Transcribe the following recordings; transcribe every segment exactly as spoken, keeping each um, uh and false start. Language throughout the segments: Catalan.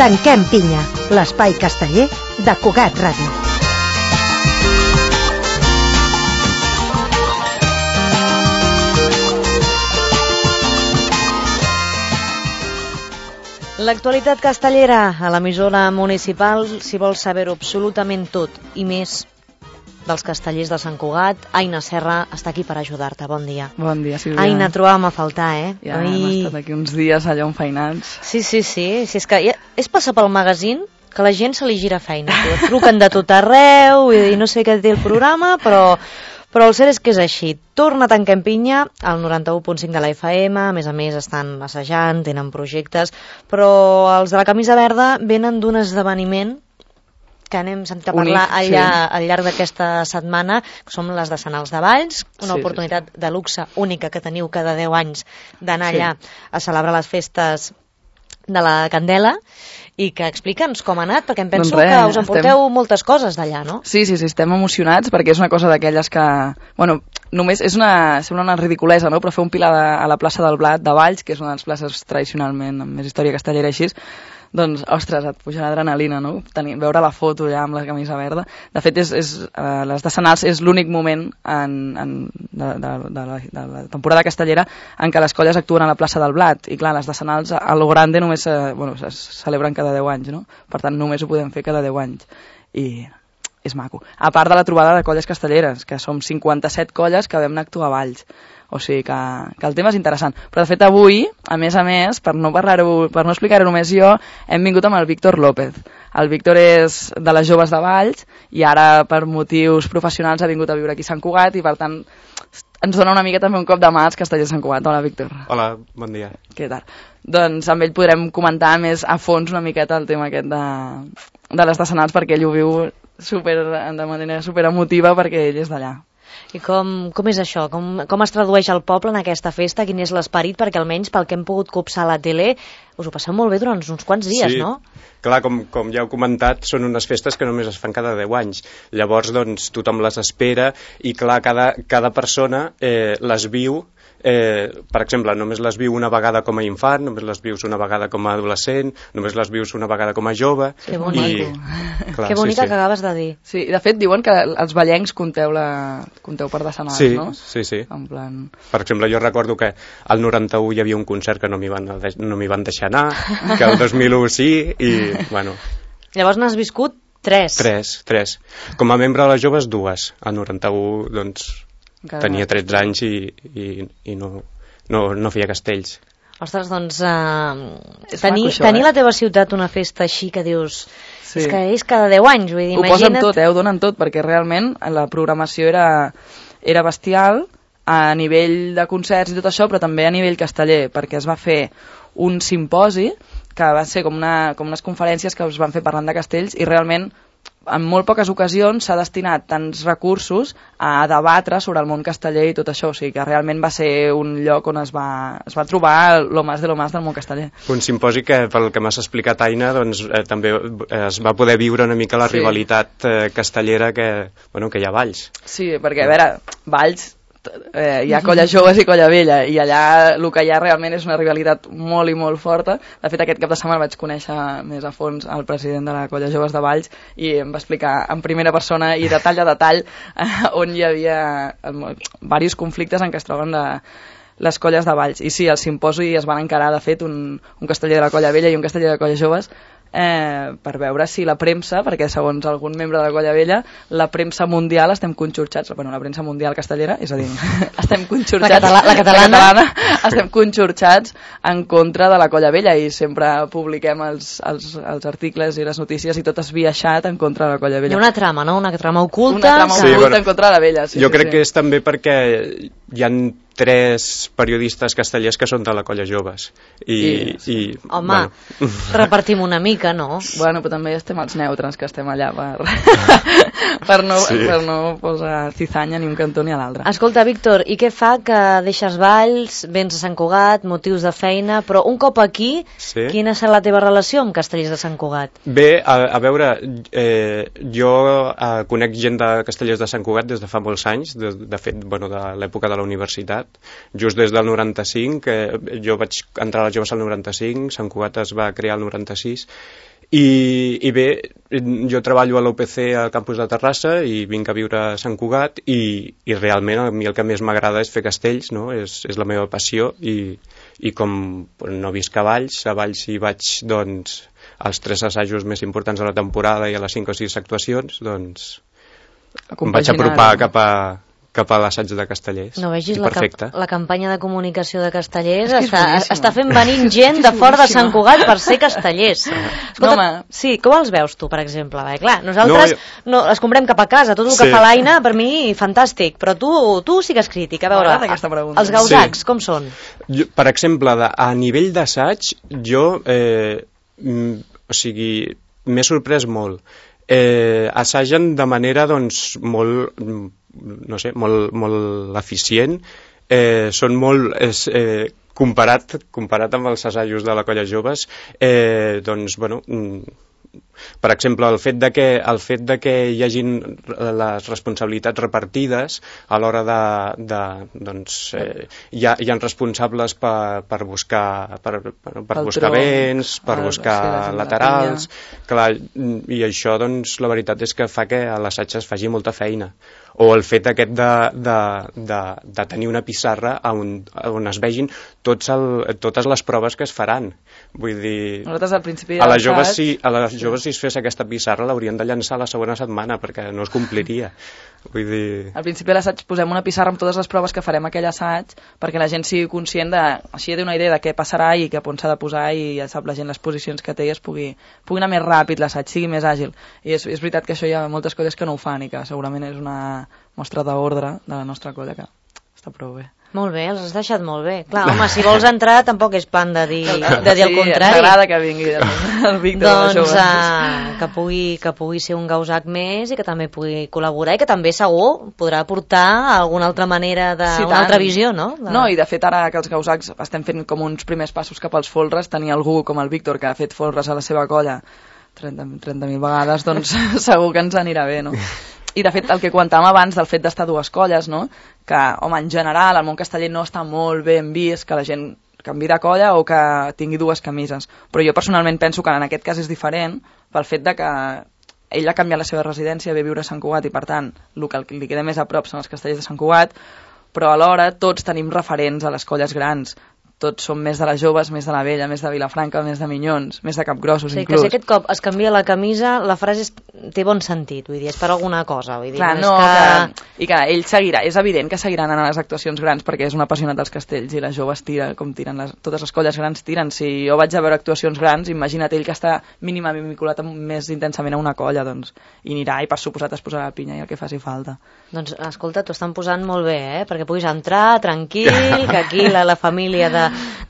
Tanquem pinya, l'espai casteller de Cugat Ràdio. L'actualitat castellera a l'emissora municipal, si vols saber-ho absolutament tot i més dels castellers de Sant Cugat, Aina Serra està aquí per ajudar-te. Bon dia. Bon dia, Sílvia. Aina, trobàvem a faltar, eh? Ja Ai... hem estat aquí uns dies allà enfeinats. Sí, sí, sí. Si és que ja... és passar pel magazín que la gent se li gira feina. Truquen de tot arreu i no sé què té el programa, però... Però el cert és que és així. Torna a Tanquem pinya al noranta-u punt cinc de la F M, a més a més estan assajant, tenen projectes, però els de la camisa verda venen d'un esdeveniment que anem sentit a parlar Unic, allà, sí. al llarg d'aquesta setmana, que són les de Senals de Valls, una sí, oportunitat sí, sí. de luxe única que teniu cada deu anys d'anar sí. allà a celebrar les festes de la Candela, i que explica'ns com ha anat, perquè em penso doncs res, que us emporteu estem... moltes coses d'allà, no? Sí, sí, sí, estem emocionats perquè és una cosa d'aquelles que, bueno, només és una, sembla una ridiculesa, no?, però fer un pilar de, a la plaça del Blat de Valls, que és una de les places tradicionalment amb més història castellera així, doncs, ostres, et puja l'adrenalina, no?, Tenir, veure la foto ja amb la camisa verda. De fet, és, és, uh, les de Senals és l'únic moment en, en, de, de, de, la, de la temporada castellera en què les colles actuen a la plaça del Blat, i clar, les de Senals a lo grande només uh, bueno, es celebren cada deu anys, no?, per tant només ho podem fer cada deu anys, i és maco. A part de la trobada de colles castelleres, que som cinquanta-set colles que vam anar a actuar a Valls. O sigui que, que el tema és interessant. Però de fet avui, a més a més, per no parlar-ho, per no explicar-ho només jo, hem vingut amb el Víctor López. El Víctor és de les joves de Valls i ara per motius professionals ha vingut a viure aquí a Sant Cugat i per tant ens dona una mica també un cop de mà als castellers de Sant Cugat. Hola, Víctor. Hola, bon dia. Què tal? Doncs amb ell podrem comentar més a fons una miqueta el tema aquest de, de les de Senals, perquè ell ho viu super, de manera super emotiva perquè ell és d'allà. I com, com és això? Com, com es tradueix el poble en aquesta festa? Quin és l'esperit? Perquè almenys pel que hem pogut copsar a la tele us ho passeu molt bé durant uns quants dies, sí. no? Clar, com, com ja heu comentat, són unes festes que només es fan cada deu anys. Llavors, doncs, tothom les espera i, clar, cada, cada persona eh, les viu. Eh, per exemple, només les viu una vegada com a infant, només les vius una vegada com a adolescent, només les vius una vegada com a jove. Que bonic. I, clar, que bonica sí, sí. que acabes de dir. Sí, de fet diuen que els ballencs compteu, la, compteu per de Senals, sí, no? Sí, sí. En plan... Per exemple, jo recordo que al noranta-u hi havia un concert que no m'hi van, no m'hi van deixar anar, que el dos mil u sí, i bueno... Llavors n'has viscut tres. Tres, tres. Com a membre de les joves, dues. Al noranta-u, doncs... Encara tenia tretze anys i, i, i no, no, no feia castells. Ostres, doncs uh, tenir, això, tenir eh? la teva ciutat una festa així que dius sí. és que és cada deu anys, vull dir, ho imagina't... posen tot, eh? Ho donen tot, perquè realment la programació era, era bestial a nivell de concerts i tot això, però també a nivell casteller, perquè es va fer un simposi que va ser com, una, com unes conferències que es van fer parlant de castells i realment en molt poques ocasions s'ha destinat tants recursos a debatre sobre el món casteller i tot això, o sigui que realment va ser un lloc on es va, es va trobar lo más de lo más del món casteller. Un simposi que, pel que m'has explicat, Aina, doncs, eh, també es va poder viure una mica la sí. rivalitat eh, castellera que, bueno, que hi ha a Valls. Sí, perquè a veure, Valls eh, hi ha colla joves i colla vella i allà el que hi ha realment és una rivalitat molt i molt forta. De fet, aquest cap de setmana vaig conèixer més a fons el president de la colla joves de Valls i em va explicar en primera persona i detall a detall eh, on hi havia eh, diversos conflictes en què es troben de, les colles de Valls. I sí, al simposi es van encarar, de fet, un, un casteller de la colla vella i un casteller de la colla joves Eh, per veure si la premsa, perquè segons algun membre de la colla vella, la premsa mundial estem conxorxats, bueno, la premsa mundial castellera, és a dir, estem conxorxats, la, catala la, catalana. la catalana, estem conxorxats en contra de la colla vella i sempre publiquem els, els, els articles i les notícies i tot esbiaixat en contra de la colla vella. Hi ha una trama, no? Una trama oculta. Una trama sí, oculta bueno, en contra de la vella. Sí, jo sí, crec sí. que és també perquè hi han tres periodistes castellers que són de la colla joves i, sí. i home, bueno. repartim una mica, no? Bueno, però també estem els neutres que estem allà per, per, no, sí. per no posar cizanya ni un cantó ni a l'altre. Escolta, Víctor, i què fa que deixes Valls, vens a Sant Cugat, motius de feina, però un cop aquí, sí. quina serà la teva relació amb Castellers de Sant Cugat? Bé, a, a veure, eh, jo eh, conec gent de Castellers de Sant Cugat des de fa molts anys, de, de fet, bueno, de l'època de la universitat, Cugat, just des del noranta-cinc, eh, jo vaig entrar a les joves al noranta-cinc, Sant Cugat es va crear al noranta-sis, i, i bé, jo treballo a l'U P C al campus de Terrassa i vinc a viure a Sant Cugat i, i realment a mi el que més m'agrada és fer castells, no? és, és la meva passió i, i com no visc a Valls, a Valls hi vaig doncs, als tres assajos més importants de la temporada i a les cinc o sis actuacions, doncs em vaig apropar cap a, cap a l'assaig de Castellers. No vegis I la, perfecte. la campanya de comunicació de Castellers És que és està, boníssima. està fent venint gent de fora de Sant Cugat per ser castellers. Escolta, home. sí, com els veus tu, per exemple? Bé, clar, nosaltres No, no, els comprem cap a casa, tot el que Sí. fa l'Aina, per mi, fantàstic, però tu, tu sí que és crític. A veure, M'agrada aquesta pregunta. els gausacs, Sí. com són? Jo, per exemple, de, a nivell d'assaig, jo, eh, mm, o sigui, m'he sorprès molt. Eh, assagen de manera, doncs, molt, mm, no sé, molt, molt eficient. Eh, són molt... És, eh, comparat, comparat amb els assajos de la Colla Joves, eh, doncs, bueno... Mm, per exemple, el fet de que, el fet de que hi hagin les responsabilitats repartides a l'hora de, de doncs, eh, hi, ha, hi ha responsables per, per buscar per, per Pel buscar tronc, vents, per el- buscar sí, la gent de la laterals, clar, i això, doncs, la veritat és que fa que a l'assaig es faci molta feina. O el fet aquest de, de, de, de tenir una pissarra on, on es vegin tots el, totes les proves que es faran. Vull dir... Nosaltres al principi A les de joves, l'assaig- si, a les joves si es fes aquesta pissarra l'haurien de llançar la segona setmana perquè no es compliria. Vull dir... Al principi de l'assaig posem una pissarra amb totes les proves que farem aquell assaig perquè la gent sigui conscient de, així té una idea de què passarà i cap on s'ha de posar i ja sap la gent les posicions que té i es pugui, pugui anar més ràpid l'assaig, sigui més àgil. I és, és veritat que això hi ha moltes coses que no ho fan i que segurament és una mostra d'ordre de la nostra colla que està prou bé. Molt bé, els has deixat molt bé. Clar, home, si vols entrar tampoc és plan de dir, de dir el Sí, contrari. m'agrada que vingui el, el Víctor de les Doncs joves. uh, que, pugui, que pugui ser un gausac més i que també pugui col·laborar i que també segur podrà aportar alguna altra manera, de, Sí, una tant. altra visió, no? De... No, i de fet ara que els gausacs estem fent com uns primers passos cap als folres, tenir algú com el Víctor que ha fet folres a la seva colla trenta mil vegades, doncs segur que ens anirà bé, no? I de fet el que comentàvem abans del fet d'estar a dues colles, no? Que, home, en general el món casteller no està molt ben vist que la gent canvi de colla o que tingui dues camises, però jo personalment penso que en aquest cas és diferent pel fet de que ell ha canviat la seva residència, ve a viure a Sant Cugat i per tant el que li queda més a prop són els castellers de Sant Cugat, però alhora tots tenim referents a les colles grans, tots som més de les joves, més de la vella, més de Vilafranca, més de Minyons, més de Capgrossos, O sigui, inclús. que si aquest cop es canvia la camisa, la frase és, té bon sentit, vull dir, és per alguna cosa. Vull dir, Clar, no, no, és que... que... i que ell seguirà, és evident que seguiran anant a les actuacions grans perquè és un apassionat dels castells i les joves tira com tiren, les, totes les colles grans tiren. Si jo vaig a veure actuacions grans, imagina't ell que està mínimament vinculat amb, més intensament a una colla, doncs, i anirà i per suposat es posarà la pinya i el que faci falta. Doncs, escolta, t'ho estan posant molt bé, eh? Perquè puguis entrar tranquil, que aquí la, la família de,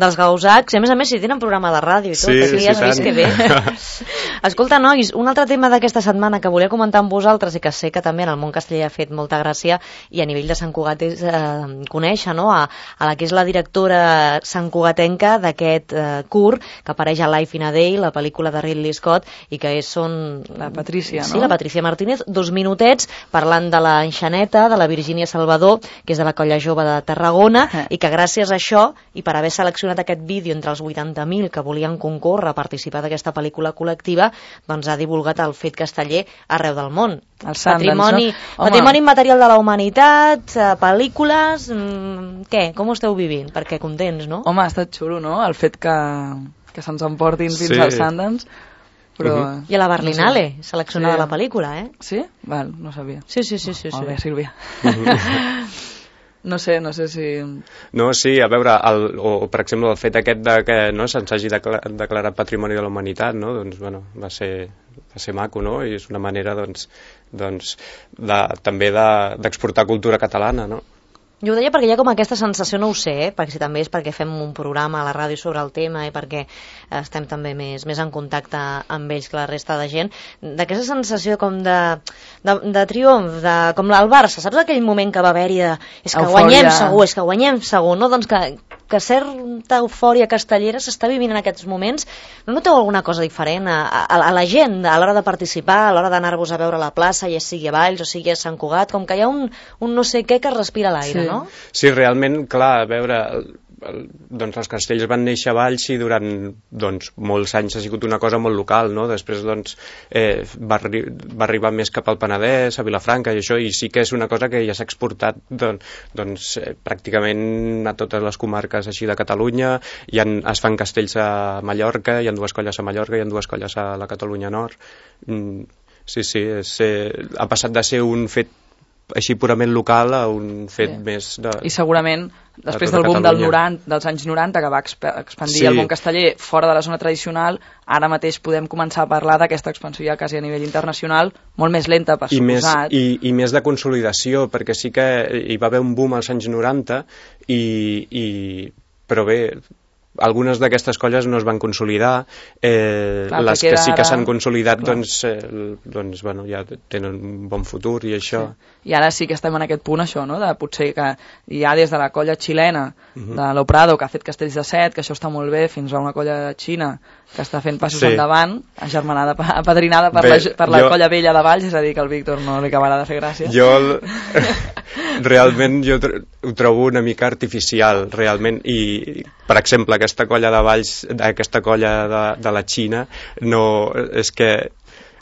dels gausacs, i a més a més si tenen programa de ràdio i tot, Sí, aquí sí, ja has tant. vist que bé. Escolta, nois, un altre tema d'aquesta setmana que volia comentar amb vosaltres i que sé que també en el món casteller ha fet molta gràcia i a nivell de Sant Cugat és eh, conèixer, no?, a, a la que és la directora santcugatenca d'aquest eh, curt que apareix a Life in a Day, la pel·lícula de Ridley Scott, i que és, són... La Patrícia, sí, no? la Patrícia Martínez, dos minutets parlant de la enxaneta, de la Virgínia Salvador, que és de la colla jove de Tarragona, Eh. i que gràcies a això, i per haver seleccionat aquest vídeo entre els vuitanta mil que volien concórrer a participar d'aquesta pel·lícula col·lectiva, doncs ha divulgat el fet casteller arreu del món. El Sundance, patrimoni, no? Home. patrimoni immaterial de la humanitat, eh, pel·lícules... Mm, què? Com ho esteu vivint? Perquè contents, no? Home, ha estat xulo, no?, el fet que, que se'ns emportin fins Sí. al Sundance, però... Uh-huh. I a la Berlinale, no sé. seleccionada Sí. la pel·lícula, eh? Sí? Val, no sabia. Sí, sí, sí, sí. Molt sí. bé, Sílvia. No sé, no sé si... No, sí, a veure, el, o, o per exemple el fet aquest de que no, se'ns hagi decla- declarat Patrimoni de la Humanitat, no? Doncs, bueno, va ser, va ser maco, no? I és una manera, doncs, doncs de, també de- d'exportar cultura catalana, no? Jo ho deia perquè hi ha com aquesta sensació, no ho sé, eh? Perquè si també és perquè fem un programa a la ràdio sobre el tema i perquè estem també més, més en contacte amb ells que la resta de gent, d'aquesta sensació com de, de, de triomf, de, com el Barça, saps aquell moment que va haver-hi de és que Eufòria. guanyem segur, és que guanyem segur, no? Doncs que que certa eufòria castellera s'està vivint en aquests moments. No noteu alguna cosa diferent a, a, a la gent a l'hora de participar, a l'hora d'anar-vos a veure a la plaça, ja sigui a Valls o sigui a Sant Cugat, com que hi ha un, un no sé què que es respira a l'aire, Sí. no? Sí, realment, clar, a veure, el, el, doncs els castells van néixer a Valls i durant doncs, molts anys ha sigut una cosa molt local, no? Després doncs, eh, va, arri va arribar més cap al Penedès, a Vilafranca i això, i sí que és una cosa que ja s'ha exportat doncs, doncs, eh, pràcticament a totes les comarques així de Catalunya. Hi ha, es fan castells a Mallorca, hi ha dues colles a Mallorca, hi ha dues colles a la Catalunya Nord. Mm, sí, sí, és, eh, ha passat de ser un fet així purament local a un fet Sí. més de... I segurament, després de del tota boom del Catalunya. noranta, dels anys noranta, que va exp expandir Sí. el món casteller fora de la zona tradicional, ara mateix podem començar a parlar d'aquesta expansió ja quasi a nivell internacional, molt més lenta, per I més, suposat. i, i més de consolidació, perquè sí que hi va haver un boom als anys noranta, i, i, però bé, algunes d'aquestes colles no es van consolidar, eh, Clar, les perquè que sí que ara- s'han consolidat Clar. doncs, eh, doncs bueno, ja tenen un bon futur i això. I ara sí que estem en aquest punt, això, no? De potser que hi ha des de la colla xilena, Mhm. de l'Oprado, que ha fet castells de set, que això està molt bé, fins a una colla xina que està fent passos Sí. endavant, agermanada, apadrinada per, Bé, la, per la jo- colla vella de Valls, és a dir, que al Víctor no li acabarà de fer gràcia. Jo el- realment jo tr- ho trobo una mica artificial, realment, i per exemple aquesta colla de Valls, aquesta colla de, de la Xina, no, és que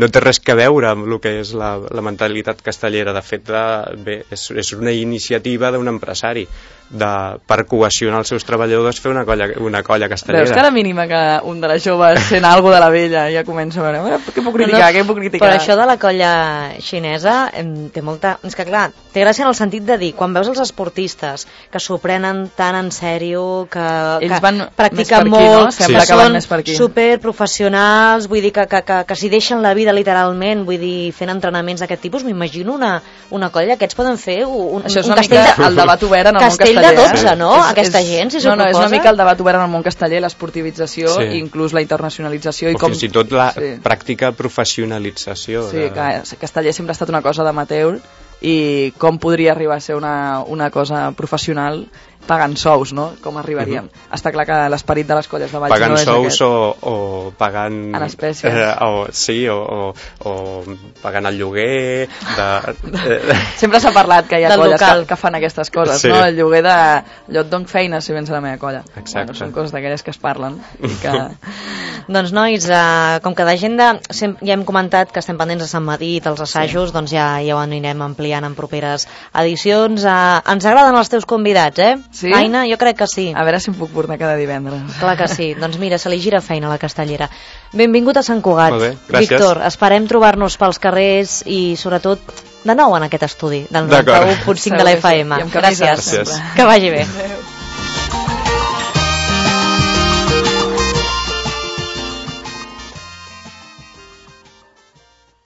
no té res que veure amb el que és la, la mentalitat castellera. De fet, de, bé, és, és una iniciativa d'un empresari de, per cohesionar els seus treballadors, fer una colla, una colla castellera. Veus que a la mínima que un de les joves sent alguna de la vella ja comença a veure, "A veure, què puc criticar, què puc criticar?" Però això de la colla xinesa em, té molta... És que clar, té gràcia en el sentit de dir, quan veus els esportistes que s'ho prenen tan en sèrio, que, Ells que van més practiquen per aquí, no? molt, Sembla que que van són més per aquí. superprofessionals, vull dir que, que, que, que s'hi deixen la vida literalment, vull dir, fent entrenaments d'aquest tipus, m'imagino una, una colla, aquests poden fer un, Això és un una castell mica de... el debat obert en el món Castell casteller. de dotze, eh? no? Aquesta gent, si s'ho No, no, és una proposa. mica el debat obert en el món casteller, l'esportivització, Sí. i inclús la internacionalització. I O com... fins i tot la Sí. pràctica professionalització. Sí, de... que casteller sempre ha estat una cosa d'amateur, i com podria arribar a ser una, una cosa professional pagant sous, no? Com arribaríem? Uh-huh. Està clar que l'esperit de les colles de Valls Pagant no és sous aquest. o, o pagant... En espècies. Eh, o, sí, o, o, o pagant el lloguer... De, eh, Sempre s'ha parlat que hi ha Del colles local. que, que fan aquestes coses, Sí. no? El lloguer de... Jo et dono feina si vens a la meva colla. Exacte. Bueno, són coses d'aquelles que es parlen i que... Doncs nois, eh, com que d'agenda sem- ja hem comentat que estem pendents de Sant Madí dels assajos, sí. doncs ja, ja ho anirem ampliant en properes edicions. Eh, ens agraden els teus convidats, eh? Sí? Aina, jo crec que sí. A veure si em puc portar cada divendres. Clar que sí. Doncs mira, se li gira feina a la castellera. Benvingut a Sant Cugat. Molt bé, gràcies. Víctor, esperem trobar-nos pels carrers i sobretot de nou en aquest estudi del D'acord. noranta-u punt cinc de la F M. I amb camisa, Gràcies. sempre. Que vagi bé.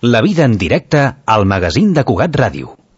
La vida en directe al magazín de Cugat Ràdio.